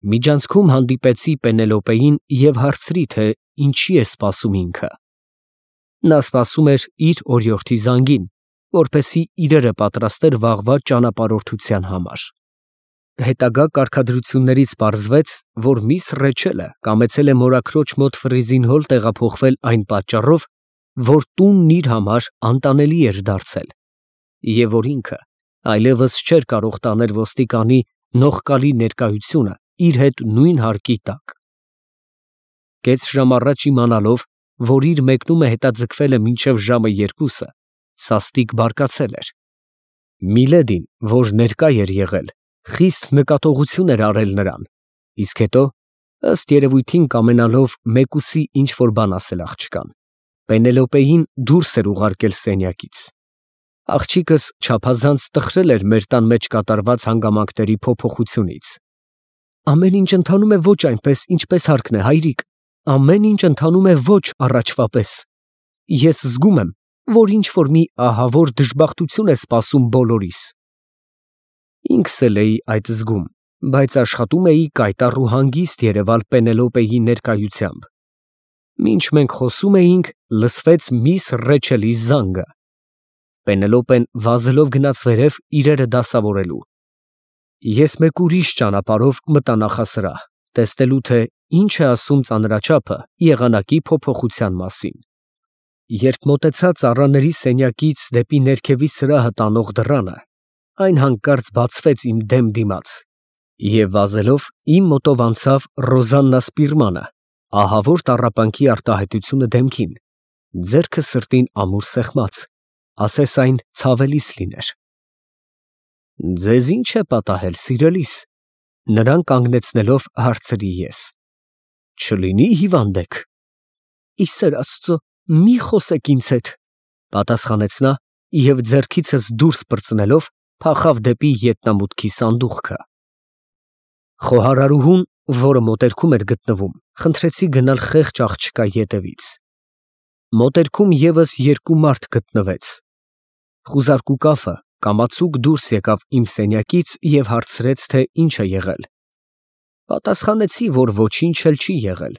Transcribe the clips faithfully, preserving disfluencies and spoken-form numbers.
Միջանցքում հանդիպեցի Պենելոպեին և հարցրի, թե ինչի է սպասում ինքը։ Նա սպասում էր իր օրիորդի զանգին, որպեսզի իրերը պատրաստեր վաղվա ճանապարհորդության համար։ Հետագա կարգադրություններից պարզվեց, որ միս Ռեչելը կամեցել է մորաքրոջ մոտ Ֆրիզինհոլ տեղափոխվել այն պատճառով, որ տունն իր համար անտանելի էր դարձել, և որ ինքը այլևս չէր կարող տանել ոստիկանի նողկալի ներկայությունը իր հետ նույն հարկի տակ։ Կես ժամ առաջ իմանալով, որ իր մեկնումը հետաձգվել է մինչև ժամը երկուսը, սաստիկ բարկացել էր։ Միլեդին, որ ներկա էր եղել, խիստ նկատողություն էր արել նրան, իսկ հետո, ըստ երևույթին կամենալով մեկուսի ինչ֊որ բան ասել աղջկան, Պենելոպեին դուրս էր ուղարկել սենյակից։ Աղջիկս չափազանց տխրել էր մեր տան մեջ կատարված հանգամանքների փոփոխությունից։ Ամեն ինչ ընթանում է ոչ այնպես, ինչպես հարկն է, հայրիկ, ամեն ինչ ընթանում է ոչ առաջվա պես։ Ես զգում եմ, որ ինչ֊որ մի ահավոր դժբախտություն է սպասում բոլորիս։ Ինքս էլ էի այդ զգում, բայց աշխատում էի կայտառ ու հանգիստ երևալ Պենելոպեի ներկայությամբ։ Մինչ մենք խոսում էինք, լսվեց միս Ռեչելի զանգը։ Պենելոպեն վազելով գնաց վերև իրերը դասավորելու։ Ես մեկ ուրիշ ճանապարհով մտա նախասրահ, տեսնելու, թե ինչ է ասում ծանրաչափը եղանակի փոփոխության մասին։ Երբ մոտեցա ծառաների սենյակից դեպի ներքևի սրահը տանող դռանը, այն հանկարծ բացվեց իմ դեմ դիմաց, և վազելով իմ մոտով անցավ Ռոզաննա Սպիրմանը, ահավոր տառապանքի արտահայտությունը դեմքին, ձեռքը սրտին ամուր սեղմած, ասես այն ցավելիս լիներ։ «Ձեզ ի՞նչ է պատահել, սիրելիս», նրան կանգնեցնելով հարցրի ես։ «Չլինի հիվանդ եք»։ «Ի սեր Աստծո, մի խոսեք ինձ հետ», պատասխանեց նա և ձեռքիցս դուրս պրծնելով փախավ դեպի ետնամուտքի սանդուղքը։ Խոհարարուհուն, որը մոտերքում էր գտնվում, խնդրեցի գնալ խեղճ աղջկա ետևից։ Մոտերքում ևս երկու մարդ գտնվեց։ Խուզարկու կաֆը կամացուկ դուրս եկավ իմ սենյակից և հարցրեց, թե ինչ է եղել։ Պատասխանեցի, որ ոչինչ էլ չի եղել։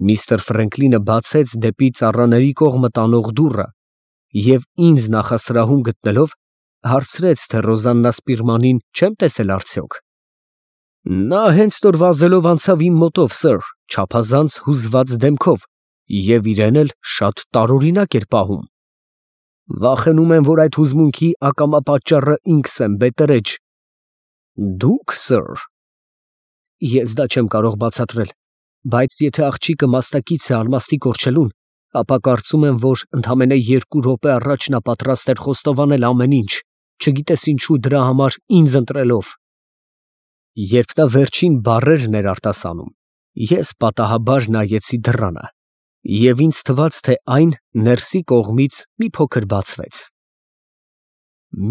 Միստր Ֆրենկլինը բացեց դեպի ծառաների կողմը տանող դուռը և ինձ նախասրահում գտնելով, հարցրեց, թե Ռոզաննա Սպիրմանին չեմ տեսել արդյոք։ Նա հենց նոր վազելով անցավ իմ մոտով, սըր, չափազանց հուզված դեմքով, և իրեն էլ շատ տարօրինակ էր պահում։ Վախենում եմ, որ այդ հուզմունքի ակամա պատճառը ինքս եմ, բետերեջ։ Դուք, սըր։ Ես դա չեմ կարող բացատրել, բայց եթե աղջիկը մասնակից է արմաստի կորչելուն, ապա կարծում եմ, որ ընդամենը երկու րոպե առաջ նա պատրաստ էր խոստովանել ամեն ինչ, չգիտես ինչու դրա համար ինձ ընտրելով։ Երբ նա վերջին բառերն էր արտասանում, ես պատահաբար նայեցի դռանը, և ինձ թվաց, թե այն ներսի կողմից մի փոքր բացվեց։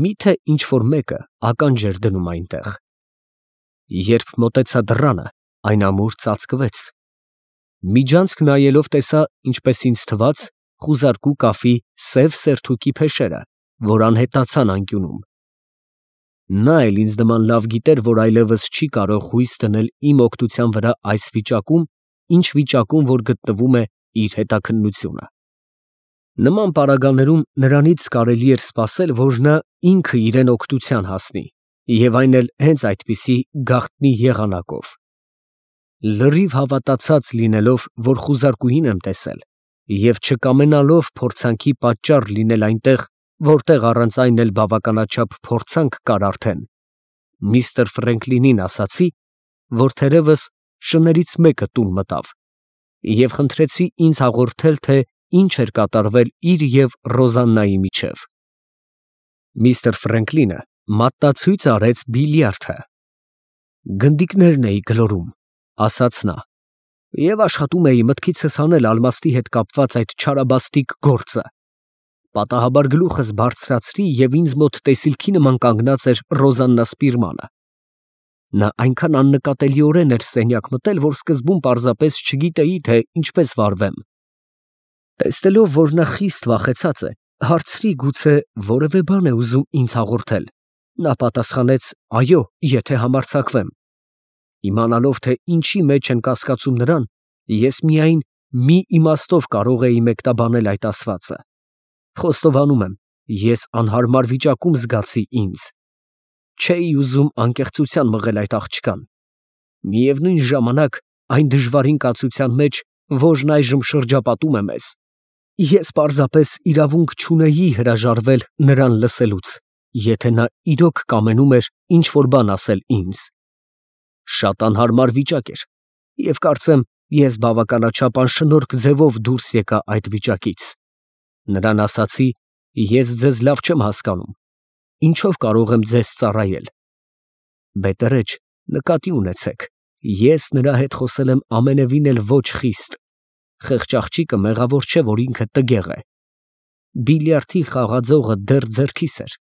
Մի՞թե ինչ֊որ մեկը ականջ էր դնում այնտեղ։ Երբ մոտեցա դռանը, այն ամուր ծածկվեց։ Միջանցք նայելով տեսա, ինչպես ինձ թվաց, խուզարկու կաֆի սև սերթուկի փեշերը, որ անհետացան անկյունում։ Նա էլ ինձ նման լավ գիտեր, որ այլևս չի կարող հույս դնել իմ օգնության վրա այս վիճակում, ինչ վիճակում որ գտնվում է իր հետաքննությունը։ Նման պարագաներում նրանից կարելի էր սպասել, որ նա ինքը իրեն օգնության հասնի, և այն էլ հենց այդպիսի գաղտնի եղանակով։ Լրիվ հավատացած լինելով, որ խուզարկուհին եմ տեսել, և չկամենալով փորձանքի պատճառ լինել այնտեղ, որտեղ առանց այն էլ բավականաչափ փորձանք կար արդեն, միստր Ֆրենկլինին ասացի, որ թերևս շներից մեկը տուն մտավ, և խնդրեցի ինձ հաղորդել, թե ինչ էր կատարվել իր և Ռոզաննայի միջև։ Միստր Ֆրենկլինը մատնացույց արեց բիլիարդը։ Գնդիկներն էի գլորում, ասաց նա, և աշխատում էի մտքիցս հանել ալմաստի հետ կապված այդ չարաբաստիկ գործը։ Պատահաբար գլուխս բարձրացրի, և ինձ մոտ տեսիլքի նման կանգնած էր Ռոզաննա Սպիրմանը։ Նա այնքան աննկատելիորեն էր սենյակ մտել, որ սկզբում պարզապես չգիտեի, թե ինչպես վարվեմ։ Տեսնելով, որ նա խիստ վախեցած է, հարցրի, գուցե որևէ բան է ուզում ինձ հաղորդել։ Նա պատասխանեց. «Այո, եթե համարձակվեմ»։ Իմանալով, թե ինչի մեջ են կասկածում նրան, ես միայն մի իմաստով կարող էի մեկնաբանել այդ ասվածը. խոստովանում եմ, ես անհարմար վիճակում զգացի ինձ. չէի ուզում անկեղծության մղել այդ աղջկան. միևնույն ժամանակ այն դժվարին կացության մեջ, որն այժմ շրջապատում է մեզ, ես պարզապես իրավունք չունեի հրաժարվել նրան լսելուց, եթե նա իրոք կամենում էր ինչ-որ բան ասել ինձ. շատ անհարմար վիճակ էր, և կարծեմ, ես բավականաչափ անշնորհք ձևով դուրս եկա այդ վիճակից. նրան ասացի. ես ձեզ լավ չեմ հասկանում, ինչով կարող եմ ձեզ ծառայել. բետերեջ, նկատի ունեցեք, ես նրա հետ խոսել եմ ամենևին էլ ոչ խիստ. խեղճ աղջիկը մեղավոր չէ, որ ինքը տգեղ է. բիլիարդի խաղաձողը դեռ ձեռքիս էր,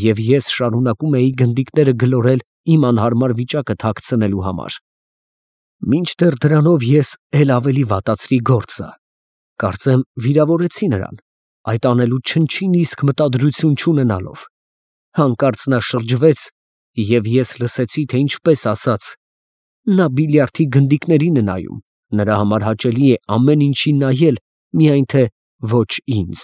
և ես շարունակում էի գնդիկները գլորել իմ անհարմար վիճակը թաքցնելու համար. մինչդեռ դրանով ես էլ ավելի վատացրի գործը. կարծեմ վիրավորեցի նրան, այդ անելու չնչին իսկ մտադրություն չունենալով. հանկարծ նա շրջվեց, և ես լսեցի, թե ինչպես ասաց. նա բիլիարդի գնդիկներին է նայում, նրա համար հաճելի է ամեն ինչին նայել, միայն թե ոչ ինձ.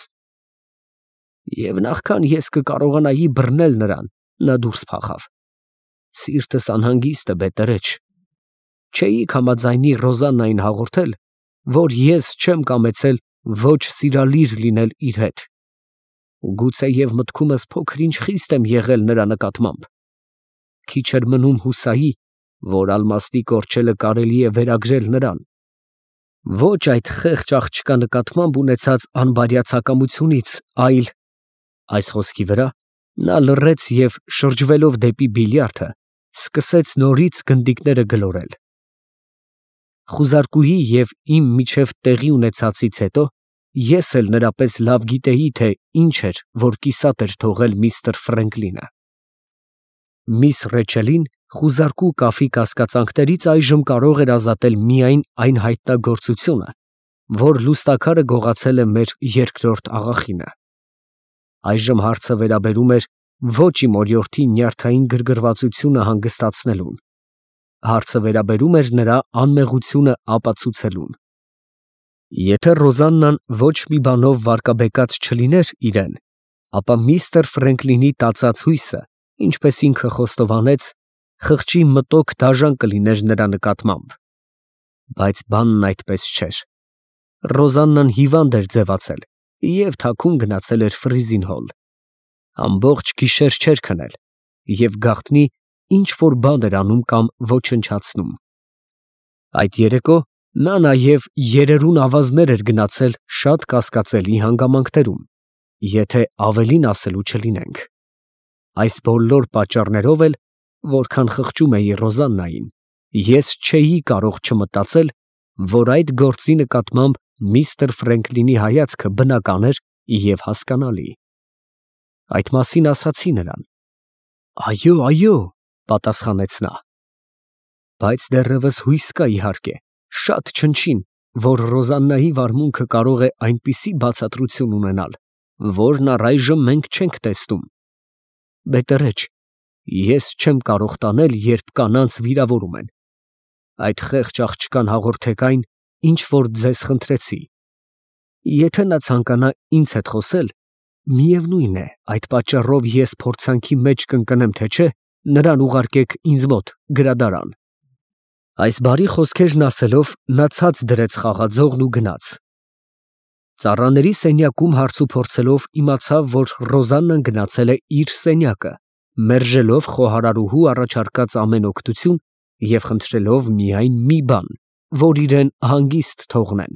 և նախքան ես կկարողանայի բռնել նրան, նա դուրս փախավ. սիրտս անհանգիստ է, բետերեջ. չէիք համաձայնի Ռոզաննային հաղորդել, որ ես չեմ կամեցել ոչ սիրալիր լինել իր հետ. գուցեև մտքումս փոքր-ինչ խիստ եմ եղել նրա նկատմամբ. քիչ էր մնում հուսայի, որ ալմաստի կորչելը կարելի է վերագրել նրան. ոչ այդ խեղճ աղջկա նկատմամբ ունեցած անբարյացակամությունից, այլ… այս խոսքի վրա նա լռեց և, շրջվելով դեպի բիլիարդը, սկսեց նորից գնդիկները գլորել. խուզարկուի և իմ միջև տեղի ունեցածից հետո ես էլ նրա պես լավ գիտեի, թե ինչ էր, որ կիսատ էր թողել միստր Ֆրենկլինը. միս Ռեչելին խուզարկու կաֆի կասկածանքներից այժմ կարող էր ազատել միայն այն հայտնագործությունը, որ լուստաքարը գողացել է մեր երկրորդ աղախինը. այժմ հարցը վերաբերում էր ոչ իմ օրիորդի նյարդային գրգռվածությունը հանգստացնելուն, հարցը վերաբերում էր նրա անմեղությունը ապացուցելուն. եթե Ռոզաննան ոչ մի բանով վարկաբեկած չլիներ իրեն, ապա միստր Ֆրենկլինի տածած հույսը, ինչպես ինքը խոստովանեց, խղճի մտոք դաժան կլիներ նրա նկատմամբ. բայց բանն այդպես չէր. Ռոզաննան հիվանդ էր ձևացել և թաքուն գնացել էր Ֆրիզինհոլ. ամբողջ գիշեր չէր քնել և գաղտնի ինչ-որ բան էր անում կամ ոչնչացնում. այդ երեկո նա նաև երերուն ավազներ էր գնացել շատ կասկածելի հանգամանքներում, եթե ավելին ասելու չլինենք. այս բոլոր պատճառներով էլ, որքան խղճում էի Ռոզաննային, ես չէի կարող չմտածել, որ այդ գործի նկատմամբ միստր Ֆրենկլինի հայացքը բնական էր և հասկանալի. այդ մասին ասացի նրան. «Այո, այո», պատասխանեց նա. բայց դեռևս հույս կա, իհարկե, շատ չնչին, որ Ռոզաննայի վարմունքը կարող է այնպիսի բացատրություն ունենալ, որն առայժմ մենք չենք տեսնում. բետերեջ, ես չեմ կարող տանել, երբ կանանց վիրավորում են. այդ խեղճ աղջկան հաղորդեք այն, ինչ որ ձեզ խնդրեցի. եթե նա ցանկանա ինձ հետ խոսել, միևնույն է, այդ պատճառով ես փորձանքի մեջ կընկնեմ, թե չէ, նրան ուղարկեք ինձ մոտ գրադարան»։ Այս բարի խոսքերն ասելով, նա ցած դրեց խաղաձողն ու գնաց. ծառաների սենյակում հարցուփորձելով իմացավ, որ Ռոզաննան գնացել է իր սենյակը, մերժելով խոհարարուհու առաջարկած ամեն օգնություն և խնդրելով միայն մի բան, որ իրեն հանգիստ թողնեն.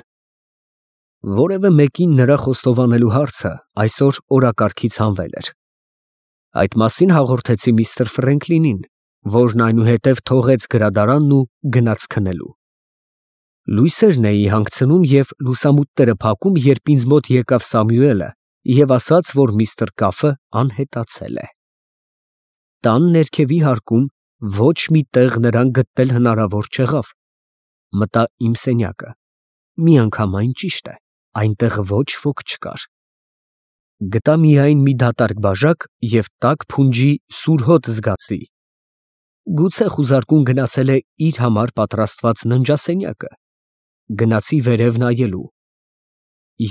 որևէ մեկին նրա խոստովանելու հարցը այսօր օրակարգից հանվել էր. այդ մասին հաղորդեցի միստր Ֆրենկլինին, որն այնուհետև թողեց գրադարանն ու գնաց քնելու. լույսերն էի հանգցնում և լուսամուտները փակում, երբ ինձ մոտ եկավ Սամուելը և ասաց, որ միստր Կաֆը անհետացել է. տան ներքևի հարկում ոչ մի տեղ նրան գտնել հնարավոր չեղավ. մտա իմ սենյակը. միանգամայն ճիշտ է, այնտեղ ոչ ոք չկար. գտա միայն մի դատարկ բաժակ և տաք փունջի սուր հոտ զգացի. Գուցե խուզարկուն գնացել է իր համար պատրաստված ննջասենյակը, գնացի վերև նայելու։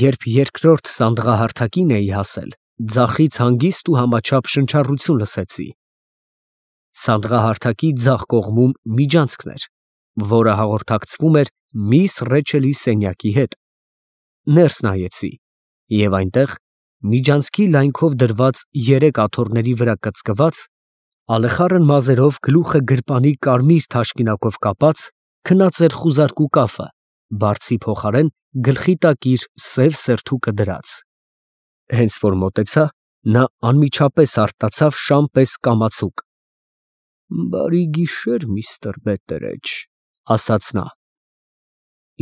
Երբ երկրորդ սանդղահարթակին էի հասել, ձախից հանգիստ ու համաչափ շնչառություն լսեցի։ Սանդղահարթակի ձախ կողմում միջանցքն էր, որը հաղորդակցվում էր միս Ռեչելի սենյակի հետ։ Ներս նայեցի, և այնտեղ, միջանցքի լայնքով դրված երեք աթոռների վրա կծկված, ալեխառն մազերով գլուխը գրպանի կարմիր թաշկինակով կապած, քնած էր խուզարկու կաֆը, բարձի փոխարեն գլխի տակ իր սև սերթուկը դրած։ Հենց որ մոտեցա, նա անմիջապես արտացավ շան պես կամացուկ։ «Բարի գիշեր, միստր Բետտերեջ», ասաց նա։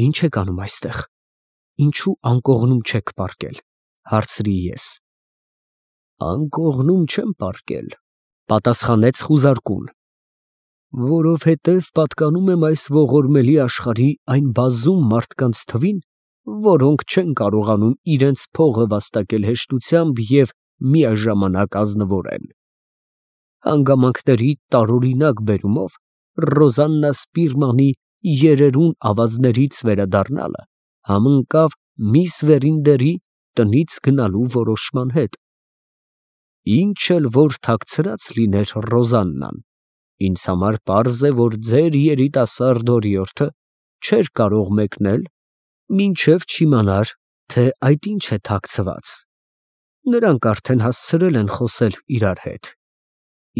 «Ի՞նչ եք անում այստեղ, ինչու անկողնում չեք պառկել», հարցրի ես։ «Անկողնում չեմ պառկել», պատասխանեց խուզարկուն, «որովհետև պատկանում եմ այս ողորմելի աշխարհի այն բազում մարդկանց թվին, որոնք չեն կարողանում իրենց փողը վաստակել հեշտությամբ և միաժամանակ ազնվորեն։ Հանգամանքների տարօրինակ բերումով Ռոզաննա Սպիրմանի երերուն ավազներից վերադառնալը համընկավ միս Վերինդերի տնից գնալու որոշման հետ։ Ինչ էլ որ թաքցրած լիներ Ռոզաննան, ինձ համար պարզ է, որ ձեր երիտասարդ օրիորդը չէր կարող մեկնել, մինչև չիմանար, թե այդ ինչ է թաքցված։ Նրանք արդեն հասցրել են խոսել իրար հետ,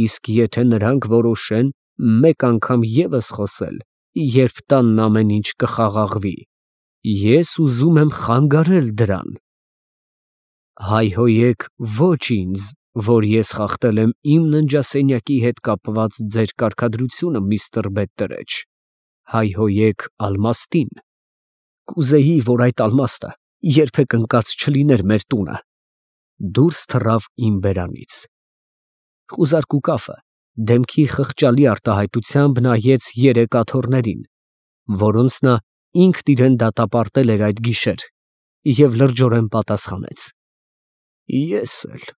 իսկ եթե նրանք որոշեն մեկ անգամ ևս խոսել, երբ տանն ամեն ինչ կխաղաղվի, ես ուզում եմ խանգարել դրան։ Հայհոյեք ոչ ինձ, որ ես խախտել եմ իմ ննջասենյակի հետ կապված ձեր կարգադրությունը, միստր Բետտերեջ, հայհոյեք ալմաստին։ Կուզեի, որ այդ ալմաստը երբեք ընկած չլիներ մեր տունը։ Դուրս թռավ իմ բերանից։ Խուզարկու կաֆը դեմքի խղճալի արտահայտությամբ նայեց երեք աթոռներին, որոնց նա ինքն իրան դատապարտել էր այդ գիշեր, և լրջորեն պատասխանեց. «Ես էլ»։